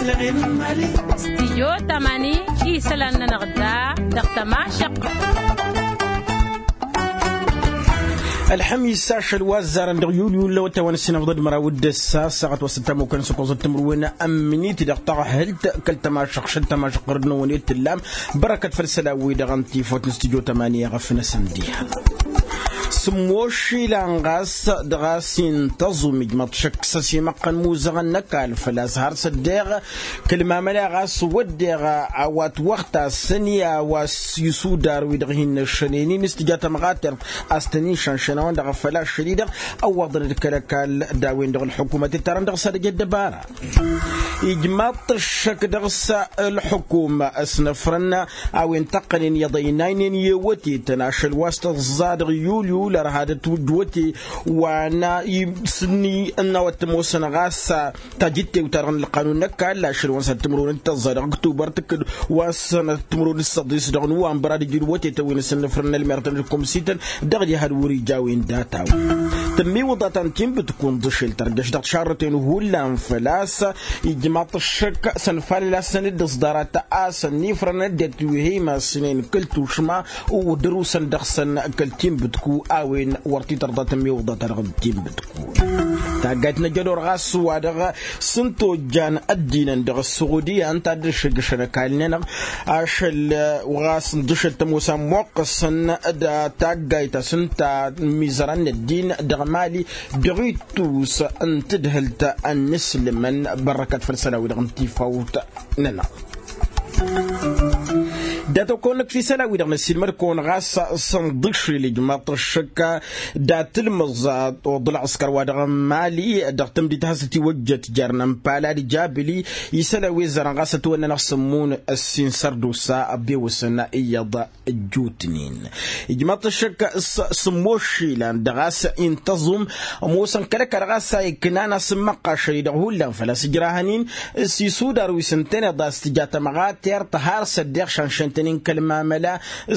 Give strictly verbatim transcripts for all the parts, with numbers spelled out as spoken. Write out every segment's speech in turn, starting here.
Stijyo tamani isălan-nănăɣ da dăɣ-tămašăɣt. Ălxămis ašăl wa ăzzarăn dăɣ-yulyu n-lăwătay wa n-ăssinăfḍăd măraw d-ăssa ăssaɣăt wa s-ăttamukăn s-ăkkoẓăt timǝrwen n-amminit dăɣ-taɣhǝlt kăl-tămašăɣt šăl tămašăɣt ɣur-dăɣ-năwăn i-tǝllam. Bărăkăt făll-isălan-wi-dăɣ n-tifawt n-stijyo tamani eɣăf-năsăn diha. Sǝmmoššilan ɣas dăɣ-a-s intăẓum ijmăḍ šăkk s-ăsimăqqăn imuzăɣăn n-ăkall făl-a-s har s-ăddeɣ kăl-mamăla ɣas wădden a-wa ătwăɣta s-ănni a-wa s-isudar wi-dăɣ hin-năššănen-in s-tǝja tămɣatert a-s tăn-in-šănšănăwăn-dăɣ făl-ašăl-i-dăɣ ăwwăḍăn-dd kăl-ăkall d-a-wen-dăɣ ǝlxǝkumăt ittarăn dăɣ-s ad-ăj ăddăbara. Ijmaḍ-t ăššăk dăɣ-s ǝlxǝkum ăsnăfrăn a-wen tăqqănen iyyăḍ ăynaynen i-ewătetăn ašăl wa s-tăẓẓa dăɣ-yulyu lărha d-ătwǝjwăte wa n-a s-ǝnni n-a-wa t-ămoosăn ɣas tajǝttewt-ta-dăɣ n-ălqanun n-ăkall ašăl wa n-sănăt timǝrwen d-tăẓẓa dăɣ-ăktubăr tǝkkǝd wa n-sănăt timǝrwen d-săḍis dăɣ-nuwănbăr ad-ǝjǝd wătetăn wi n-asǝnnǝfrăn n-ălmertăn d-ǝkkumsităn dăɣ-diha d-wăr-ija a-wen data-wen. Tămmiwǝḍa ta n-tinbǝtku n-ḍǝšel tărjăš dăɣ-tišarrăten hullan făl-a-s ijmaḍ-t ăššăk s-ănfalăl a-s săn-dd-ǝẓḍarăt a-s ănnifrăn ăddinăt wi hi-imassǝnen kăl-tušma. Udărusăn dăɣ-săn kăl-tinbǝtku a-wen wăr t-tărḍa tămmiwǝḍa ta dăɣ-tinbǝtku. Taggayt n-ajădor ɣas wa-dăɣ s-ǝnta ojjan ăddinăn dăɣ-ăssuɣudya ǝnta a dd-ăššǝjjăšăn ăkall-nănăɣ ašăl ɣas n-dăšăl tămoos a ămmuqqăsăn d-taggayt a-s ǝnta n-imizărăn n-ăddin dăɣ-mali dăɣ-ittus n-tadhǝlt a ǝnnǝslǝmăn. Bărrăkăt făll-isălan-wi-dăɣ n-tifawt-nănăɣ. Dat-okăwăn-năkk făll-isălan-wi-dăɣ n-ăssiilmăd-kăwăn ɣas s-ănḍǝšrǝl ijmaḍ-t ăššăk dat-ǝlmǝẓ oḍ ălɣǝskăr wa dăɣ-n mali dăɣ-tǝmdit a hasăn-t-iwăjjăt jer-inămpal ad-ijabilǝy isălan wi ăzzarăn ɣas ătwănnănăɣ sǝmmun ăssin sărdusa ăbewăsăn iyyăḍ. Ăjjootnen ijmaḍ-t ăššăk s-sǝmmos išilan dăɣ-a-s intăẓum ămoosăn kăl-ăkall ɣas a iknan asǝmmăqqa ašăl-i-dăɣ hullan făl-a-s ǝjrahăn-in s-isudar wi s-ǝntăneḍ a-s tǝja tămɣatert har s-ăddeɣ šanšăn-tăn-in kăl-mamăla.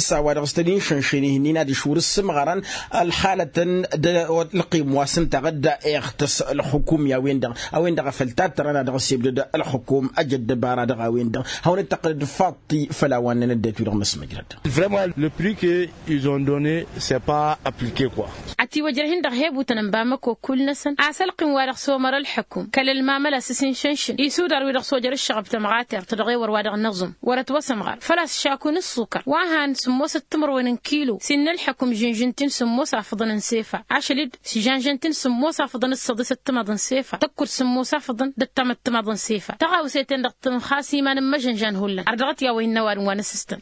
S-a-wa-dăɣ s-tăn-in-šănšăn ihǝnnin adiš wăr-ǝssǝmɣărăn ălxalătăn d-ălqim wa s-ǝnta ɣǝdda iɣtăs ălxukum i-a-wen-dăɣ a-wen-dăɣ a făl tattărăn a dăɣ-s ibdăd ălxukum ăj ăddăbara dăɣ-a-wen-dăɣ. Hawăn-dd-tăqqǝlăd faḍt-i făll-a-wa ǝnnăn ăddinăt-wi-dăɣ n-ăsmăjrăd. Vrămăn le prik izon done s-e pa aplike kwa. Ătiwăjrăh-in dăɣ-hebutăn n-bamăko kull-năsăn a-s ălqim wa dăɣ-s omăr ălxǝkum kăl-ălmamăla s-s-inšănšǝn isudar wi-dăɣ s-ojăr ǝššăɣăb tămɣatert dăɣ-ewăr wa dăɣ-năẓum wăr-ătwăsămɣăr făl-a-s šaku n-ǝṣṣukăr wa han sǝmmosăt timǝrwen n-kilo s-innă ălxǝkum žǝnžǝn-t-in sǝmmos afǝḍăn n-sefa ašăl-dd s-žănžăn-t-in sǝmmos afǝḍăn d-săḍisăt timaḍ n-sefa tăkkud sǝmmos afǝḍăn d-ăttamăt timaḍ n-sefa tăɣawse-ten-dăɣ tǝnxas iman n-imăžănžan hullan ar dăɣ-t i-a-wa innă ăwadǝm wa n-asǝstăn.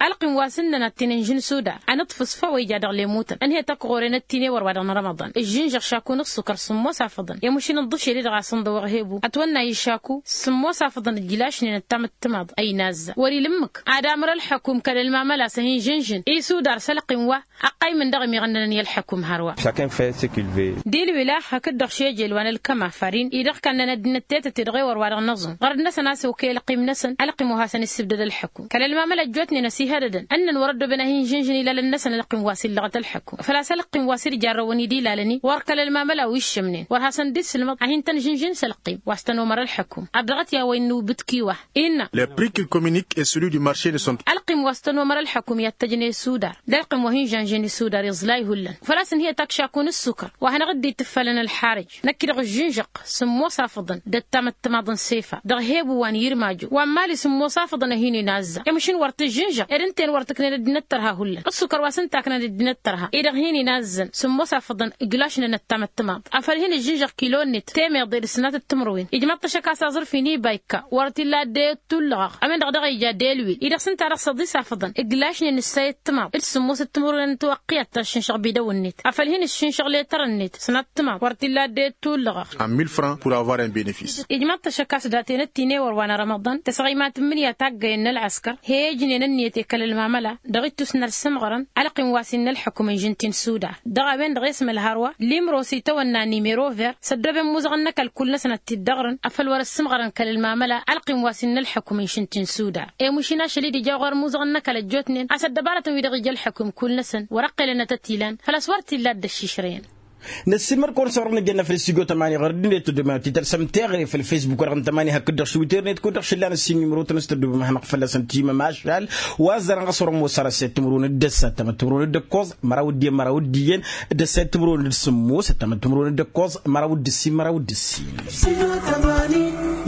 Ălqim wa s-ǝnnăn ad-t-in-ǝnžǝn sudar ănǝṭṭfǝs făw a ija dăɣ-lemutăn ǝnhăyăt ăkɣoren d-tinewăr wa dăɣ-n rămăḍan ǝžžǝnžăɣ šaku n-ǝṣṣukăr sǝmmos afǝḍăn i-mušin n-ḍǝšel-i-dăɣ a-s ǝnḍăwăɣ hebu ătwănna i-šaku sǝmmos afǝḍăn ǝjlašnen ăttamăt timaḍ ăynazza wăr-ila ǝmmǝk ad-amăr ălxăkum kăl-ălmamăla s-ăhinžǝnžǝn isudar s-ălqim wa ăqqaymǝn dăɣ-ămiɣănnănăn i-ălxăkum hărwa. Šakăn făyăt s-e kilve. Dil-wi laxăk-dd-dăɣ šejel wa n-ălkăma farin-i-dăɣ kannăn ăddinăt tetăt-i-dăɣ ewăr wa dăɣ-năẓum ɣărăd-năsăn a-s okăy ălqim-năsăn ălqim wa hasăn-issǝbdăd ălxăkum kăl-ălmamăla ăjjootnen ăsihădădăn ǝnnăn wăr-ăddooben ad-hin-žǝnžǝn ilalăn-năsăn ălqim wa s-illăɣăt ălxăkum făl-a-s ălqim wa s-dd-jarrăwăn-dd ilalăn-i wăr kăl-ălmamăla wi ǝššămnen wăr hasăn-dd-issǝlmăḍ ad-hin-tăn-žǝnžǝn s-ălqim wa s-tăn-omăr ălxăkum. Ad-dăɣ-t i-a-wa innă ubǝtki wa innă. Le prik il-kominik e sălu di marše de son. Ălqim wa s-tăn-omăr ălxăkum i-ad-tăjnen isudar d-ălqim wa hin-žănžen isudar iẓlay hullan făl-a-s ǝnhǝyăt akšaku n-ǝssukăr wa hanăɣ-dd-ittǝffalăn ălxarǝj. Năkk-i-dăɣ ǝžžǝnžăɣ sǝmmos afǝḍăn d-ăttamăt timaḍ n-sefa dăɣ-hebu wa n-irmajo wa n-mali sǝmmos afǝḍăn a hin-inazza i-măšin wăr tǝžžǝnžăɣ ed ǝnta-en wăr tǝknen ăddinăt tărha hullan ǝssukăr wa s-ǝnta a ǝknăn ăddinăt tărha-i-dăɣ hin-inazzăn sǝmmos afǝḍăn ǝglašnen ăttamăt timaḍ afăl hin-ǝžžǝnžăɣ kilo-net temeḍe d-ǝsnatăt timǝrwen ijmaḍ-t ăššăk a-s aẓrǝf-in ibayka wăr t-illa dd-e-dd tullăɣăɣ a-wen-dăɣ daɣ ija delwil-i-dăɣ s-ǝnta dăɣ-săḍis afǝḍăn ǝglašnen ǝssayăt timaḍ d-sǝmmosăt timǝrwen n-tiwăqqi ad-tăn-šǝnšăɣ bidăw-net afăl hin-ǝššǝnšăɣ letăr-net sănat timaḍ wăr t-illa dd-e-dd tullăɣăɣ. Ămmi l-franc pour avoir un benefice. Ijmaḍ-t ăššăk a-s daten ăttinewăr wa n-rămăḍan tăsɣăymat n-imǝnǝya taggăyăn n-ălɣăskăr he-ijnen ǝnniyăt i-kăl-ălmamăla dăɣ-ittus n-ălsǝmɣărăn ălqim wa s-innă ălxǝkum ǝnžǝn-t-in sudar dăɣ-a-wen-dăɣ esmăl hărwa limros itawănna nimero ver s-ăddooben imuzăɣăn n-ăkall kull-năsăn ad-t-dd-ăɣrǝn afăl wăr-ăssǝmɣărăn kăl-ălmamăla ălqim wa s-innă ălxǝkum ǝnšǝn-t-in sudar. I-mušin ašăl-i d-ija ɣur-imuzăɣăn n-ăkall ăjjootnen a-s ăddăbarătăn wi-dăɣ ija ălxǝkum kull-năsăn wăr-ăqqelăn ad-tăt-ilan făl-a-s wăr t-illa dd-ăššišrăyăn. Năssiilmăd-kăwăn s-a-wăr-nǝjănna făll-studyo tămani ɣur-dd-net tăddobem ad-t-tălsăm teɣăre făll-facebook-wăr ɣǝn tămani hakd-dăɣ s-witer-net kud-dăɣ šǝllan ăssiin numărotăn s-tăddobem ad-hanăɣ-fălla-săn timămašal. Wa ăzzarăn ɣas wăr-ămoos ar ăssayăt timǝrwen d-ăssa ăttamăt timǝrwen d-ǝkkoẓ măraw d-iyyăn măraw d-iyyăn d-ăssayăt timǝrwen d-sǝmmos ăttamăt timǝrwen d-ǝkkoẓ măraw d-ǝssin măraw d-ǝssin.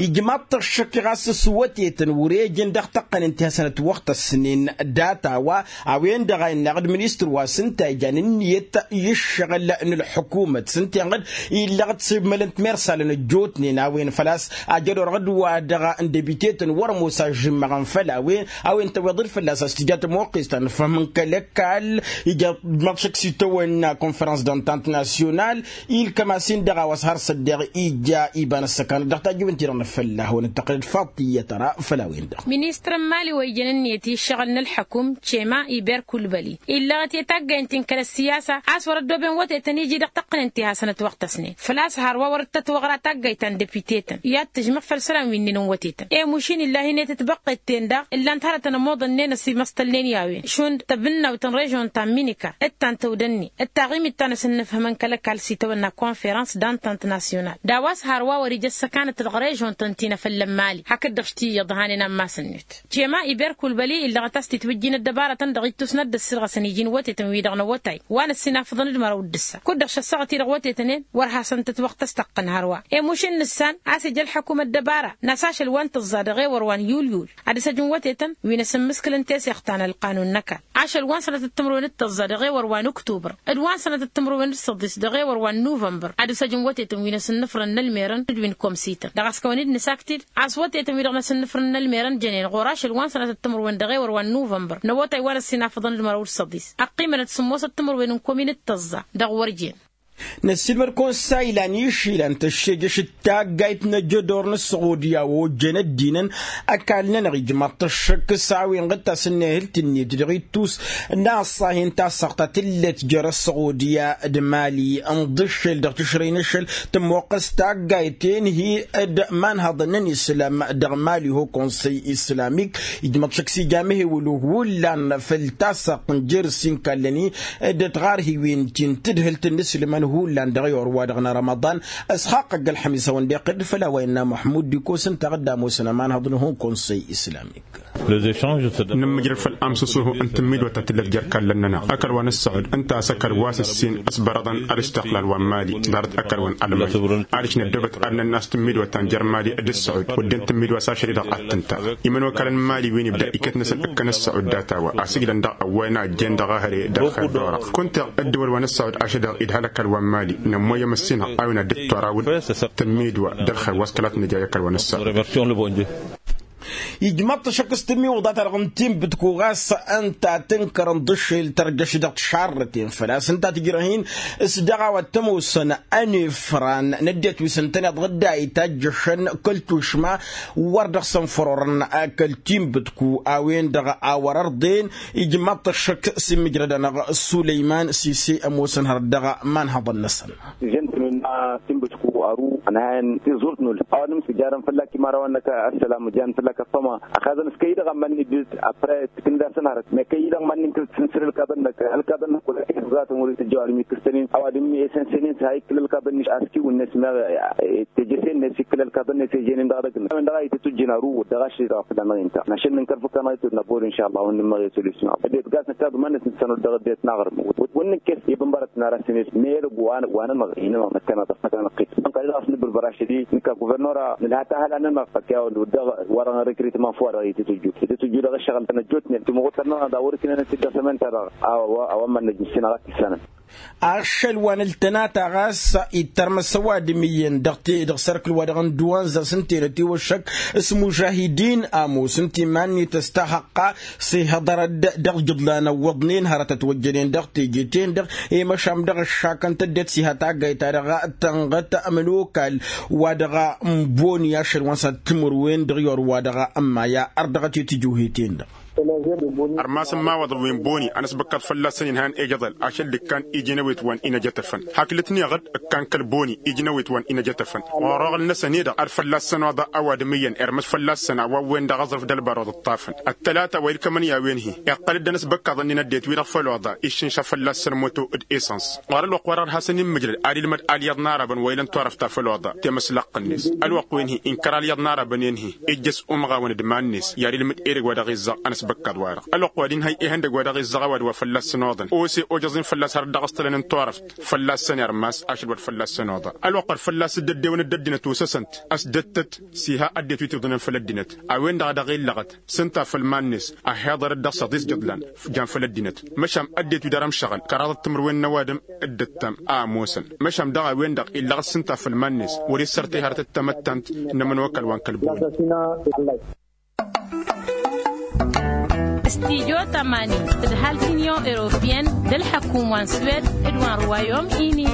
Ijmaḍ-t ăššăk ɣas s-wătetăn wăr-ejăn dăɣ-tăqqănen ti hasăn-ătwăɣtăsnen data-wa. A-wen-dăɣ a innaɣ-dd ministăr wa s-ǝnta ijan ǝnniyăt i-ǝššăɣǝl n-ălḥukumăt s-ǝnta iyyăɣ-dd illăɣ-dd s-imălăn timersalăn ăjjootnen a-wen făl-a-s ajăd orăɣ-dd wa dăɣ-n debitetăn wăr-ămoos a ǝžžǝmmăɣăn făll-a-wen. A-wen tăwweḍ-dd fălla-s a-s tǝja tămoqqes ta n-ǝfhǝm n-kăl-ăkall. Ija d-măḍšăk s-itawănna konfărăns d-antant nasyonal ilkăm-as-in-dăɣ a-wa s-har s-ăddeɣ ija iba n-ăssăkanăt dăɣ-tajǝwen-ti-dăɣ n-afălla hawăn-dd-tăqqălăd faḍt iyyăt ara făll-a-wen-dăɣ. Ministăr n-mali wa ijăn ǝnniyăt i-ǝššăɣǝl n-ălḥăkum cema iber kulbăli illăɣăt i-taggaynt-in kăl-ăssiyasa a-s wăr-ăddooben wătetăn iji dăɣ-tăqqǝnen ti hasăn-ătwăɣtăsnen făl-a-s hărwa wăr-dd-tătwăɣra taggayt ta n-depite-tăn i-ad-tǝžmăɣ făll-isălan wi ǝnnǝnăn wătetăn. I-mušin illahi-net tibăqqet-ten-dăɣ ǝllan-t hărătăn ămoḍănnen ăsimăstălnen i-a-wen šund tăbǝnnawt n-režon ta n-minikar d-ta n-tăwdănne d-taɣimit ta n-asǝnnǝfhǝmăn kăl-ăkall s-itawănna konferăns d-antant nasyonal d-a-wa s-hărwa wăr-ija ăssăkanăt dăɣ-režon-tăn ti n-afălla n-mali hakd-dăɣ š-t-iyyăḍ hanen ammas-net. Cema iber kulbăli illăɣăt a-s titwǝjjin ăddăbarătăn dăɣ-ittus n-ad-dd-ăssirɣăsăn iji n-wătetăn-wi-dăɣ n-awătay wa n-ăssinafăḍăn d-măraw d-ǝssa kud-dăɣ šăssăɣăt-i-dăɣ wătetăn-en wăr hasăn-tătwăɣtăs tăqqǝn hărwa. I-mušin nǝssan a-s ija ălḥăkum ăddăbara n-asašăl wa n-tǝẓẓa dăɣ-ewăr wa n-yulyul ad-ǝsăjǝn wătetăn wi n-asǝmmǝskǝlăn teseɣt ta n-ălqanun n-ăkall ašăl wa n-sănatăt timǝrwen d-tăẓẓa dăɣ-ewăr wa n-uktubăr d-wa n-sănatăt timǝrwen d-săḍis dăɣ-ewăr wa n-nuvănbăr ad-ǝsăjǝn wătetăn wi n-asǝnnǝfrăn n-ălmerăn d-wi n-komsităn dăɣ-a-s kăwăn-dd-nǝsakti-dd a-s wătetăn wi-dăɣ n-asǝnnǝfrăn n-ălmerăn jănen ɣur-ašăl wa n-sănatăt timǝrwen dăɣ-ewăr wa n-nuvănbăr n-awătay wa n-ăssinafăḍăn d-măraw d-săḍis ăqqimănăt sǝmmosăt timǝrwen n-komin d-tăẓẓa dăɣ-wăr jen. Năssiilmăd-kăwăn s-a ilan išilan tăššejăš d-taggayt n-ajădor n-ăssuɣudya wa ojjăn ăddinăn ăkall-nănăɣ ijmaḍ-t ăššăk s-a-wen ɣǝttas ǝnnehǝlt-net dăɣ-ittus n-aṣṣahi n-tassaɣt ta tǝllet jer-ăssuɣudya d-mali ǝnḍǝššel dăɣ-tǝšrăy n-ašăl tămmoqqăs taggayt tenhi d-imanhăḍăn n-islam dăɣ-mali ho konsăy islamik. Ijmăḍ šăkk s-ija amehewăl hullan făll-tassaɣt n-jer-s inkallăn-i d-tiɣarhiwen ti n-tǝdhǝlt n-inǝslǝmăn hullan dăɣ-i orwa-dăɣ n-rămăḍan. S-xaqqăgg ălxămis a-wen-dd-iqqǝd făll-a-wa innă muḥmud d-ikos ǝnta a ɣǝdda ămoosăn ămanhăḍ n-hun konsăy islamik. Nǝmmǝjrăd făll-amsǝsuhu n-tǝmmidwăt ta tǝllăt jer-kallăn-nănăɣ ăkall wa n-ǝssăɣud ǝnta a-s ăkall wa s-ǝssin ăsbărăḍăn ălǝstăqlal wa n-mali ḍarăt ăkall wa n-almăj. Ad-ǝšnăddobăt ad-nănn'-as tǝmmidwăt ta n-jer-mali d-ǝssăɣud wădden tǝmmidwa s-ašăl-i-dăɣ ad-tǝnta. Imănokalăn n-mali wi n-ibda iket-năsăn ǝkkăn ǝssăɣud data-wa a-s ǝjlăn dăɣ-ăwway n-a ǝjjen dăɣ-ehăre dăɣ-xeddorăɣ kunta ăddǝwăl wa n-ǝssăɣud ašăl-dăɣ idhal ăkall wa n-mali. Nămmoyyăm ǝssinăɣ a-wen ad-dd-torawǝd tǝmmidwa d-ălxer wa s-kăla t-nǝja i-ăkall wa n-ǝssăɣud. Ijmăḍ-t ašăk s-tǝmmiwǝḍa-ta-dăɣ n-timbǝtku ɣas ǝnta tǝnkărăn d-ašil tărjăš dăɣ-tišarrăten făl-a-s ǝnta tǝjrăh-in s-dăɣ a-wa t-ămoosăn ănefran n-ăddinăt wi s-ǝntăneḍ ɣǝdda itajjăšăn kăl-tušma wăr dăɣ-săn fărorăn kăl-timbǝtku a-wen-dăɣ a wăr-ărḍen. Ijmăḍ-t ašăk s-immǝjrăd-anăɣ sulăyman sise ămoosăn hărăt dăɣ-imanhăḍăn-năsăn. Tǝjăn-tăn-in timbǝtku ăru ănhayăn tiẓurt n-ulh a-wa n-imsǝjarăn fălla-k imărawăn-năk ăssălam ǝjan fălla-k ăṭṭăma. Ăxazăn s-kăy-dăɣ ămmănni dd-apre tǝknǝd-asăn hărăt mekăy-i-dăɣ mad-nǝnkǝl tǝnsǝr ǝlkaḍăn-năk ǝlkaḍăn-năk wăla kăy-ăẓẓatăn wăr-itǝjjăw ad-ǝmmǝk ǝstănen a-wa dd-ǝmmǝk esăn-sănen s-ha ikkǝl ǝlkaḍăn-net a-s kiwǝnnet meɣ teje-sen-net ikkǝl ǝlkaḍăn-net ejenen dăɣ-edăgg n-a-wen-dăɣ a itǝtujjǝn ăru wăr dăɣ-ašăl-i-dăɣ a fălla-năɣ inta. Našăn nǝnkăl făkk-anăɣ itwădna bor inša allah wăr nǝmmăɣ i-solution. Ăddinăt gas nǝkkaḍ ǝmănnet n-sănut dăɣ-ăddinăt n-aɣrǝm wăr-nǝkkes i-bǝnbărăt n-ara s-init meyălăg wa nănăɣ-i nănăɣ năkkăneḍ ăffăt anăqqit. Dăɣ-s nǝbbǝrbăr ašăl-i nǝkka guvernora nǝlha tahala-nănăɣ făkk i-a-wen dd-wărăn recrutement făw-wa-dăɣ itǝtujju itǝtujju dăɣ-ǝššăɣǝl-tăn ăjjootnen tǝmɣutăr-nănăɣ d-a wăr-ǝknenăn-t-dd dăɣ-sămănta-dăɣ. A-wa ămmănnăj ǝssin a ɣas tǝssanăn. Ašăl wa n-ǝltănata ɣas ittărmăs ăwadǝm iyyăn dăɣ-t dăɣ-sărkǝl-wa-dăɣ n-duwanza s-ǝnta enăt iwăššăk s-mužahidin ămoos ǝnta iman-net ăstahăqqa s-ihăḍărăd dăɣ-ijǝḍlan ăwwăḍnen hărătăt wăjjănen dăɣ-teje-ten-dăɣ i-măšan dăɣ-ǝššakăn tăddet s-iha taggayt-ta-dăɣ tănɣăt ămănokal wa dăɣ-n boni ašăl wa n-sănat timǝrwen dăɣ-i orwa dăɣ-n maya ărdăɣăt i-tijuhe-ten-dăɣ. Ărmas n-imawaḍăn wi n-boni a n-ăsbăkkaḍ fălla-săn inhăyăn ejăḍăl ašăl d-ǝkkan iji n-ewet wa n-inăjătăfăn. Hakd ǝtnăɣ-dd ǝkkan kăl-boni iji n-ewet wa n-inăjătăfăn ɣur-oɣăl-năsăn-i-dăɣ ad-fălla-săn oḍa ăwadǝm iyyăn irmǝs fălla-săn a-wa n-wen-dăɣ aẓrǝf d-ălbar oḍǝṭṭafăn. Ăttălata wa ilkămăn i-a-wen-hi iqqăl-dd ănăsbăkkaḍăn-in ăddinăt-wi-dăɣ făll-oḍa iššǝnša fălla-săn moto d-esăns. Ɣur-ălwăqq-wa-dăɣ d-hasăn-in-mǝjrăd ad-ilmăd alyaḍ n-arabăn wa ilăn turăft ta făll-oḍa temăslăqqăn-net. Ălwăqq-wen-hi inkăr alyaḍ n-arabăn-en-hi ijjăs umɣawăn d-iman-net i-ad-ilmǝd edăgg wa dăɣ-izzăɣ ănăsbăkkaḍ-wa-dăɣ. Ălwăqq wa d-inhăy ihăndăgg wa dăɣ-izzăɣ ăwadǝm wa fălla-săn oḍăn ose ojăẓ-in fălla-s har dd-ăɣstălăn n-turăft fălla-săn irmas ašăl wa d-fălla-săn oḍa. Ălwăqq wa d-fălla-s dd-ăddewăn d-ăddinăt osăsăn-t ăsdăttăt s-iha ăddinăt wi tiwǝḍnen făll-ăddinăt. A-wen-dăɣ a dăɣ-illăɣăt s-ǝnta făll-iman-net. Ăhhiḍărăt dăɣ-săḍis d-iḍlan jan făll-ăddinăt. Măšan ăddinăt wi dăr-ămšăɣăl kăraḍăt timǝrwen n-ăwadǝm d-ǝttăm a ămoosăn. Măšan daɣ a-wen-dăɣ illăɣăt s-ǝnta făll-iman-net wăr-issărtăy hărăt d-tamăttant n-ămănokal wa n-kăl-boni. Stijo tămani d-ăhalk n-inyon europeyăn d-ălḥăkum wa n-swed d-wa n-ruwayom ini.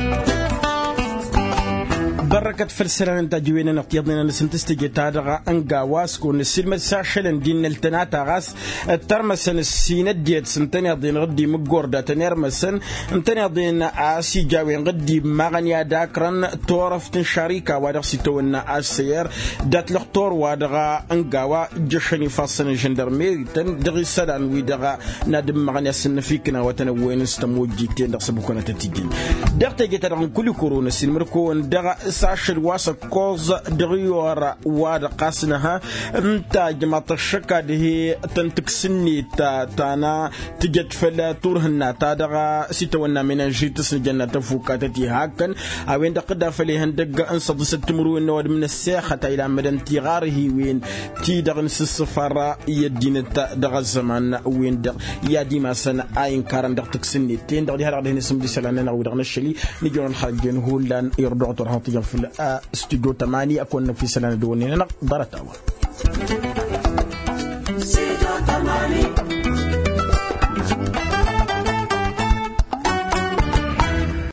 Bărrăkăt făll-isălan n-tajǝwen-nănăɣ tiyyăḍnen-năsăn tǝstǝje-ta-dăɣ n-gawa s-kăwăn-nǝssilmăd s-ašălăn d-innăl tănata ɣas d-tărmăsăn ǝssin ăddinăt s-ǝntăneḍ-en ɣǝddim ǝggorda tănermăsăn ǝntăneḍ-en a-s ija a-wen ɣǝddim maɣăn i-ad-akrăn turăft n-šarika wa dăɣ-s itawănna assăyăr. Dat-lăxtur-wa-dăɣ n-gawa ǝjjăšăn ifassăn n-žăndărmerităn dăɣ-isălan-wi-dăɣ n-ad-ǝmmăɣăn i-ad-sǝnnăfikǝn a-wa tăn-ăwwăyăn s-tămojjiten dăɣ-s ăbukănăt ătijjăn. Dăɣ-teje-ta-dăɣ n-kulikoro năsiilmăd-kăwăn dăɣ-s ašăl wa s-ăkkoẓ dăɣ-iyor wa-dăɣ ɣas nǝha ǝnta ijmaḍ-t ăššăk ad-hi-tăn-tǝks ǝnnet ta n-tǝjăt făll-turhǝnna-ta-dăɣ s-itawănna menănžit s-nǝjănna tăfukatăt iha kăn. A-wen-dăɣ tǝdda făll-ihăndăgg n-săḍisăt timǝrwen n-ăwadǝm n-ăssexăt a ilamădăn tiɣarhiwen ti-dăɣ n-sǝssǝfar i-ăddinăt dăɣ-ăzzăman-wen-dăɣ i-ad-imasăn a inkarăn dăɣ-tǝks-net-ten-dăɣ diha-dăɣ dăɣ-hin-isǝmd isălan-nănăɣ wi-dăɣ năššăl-i. Nǝjrăwăn xăjjen hullan irduɣ turhăḍ tijăn făll-a stujo tămani ăkk wănnăn fi isălan d-wănnen-nănăɣ ḍarăt-a-wa.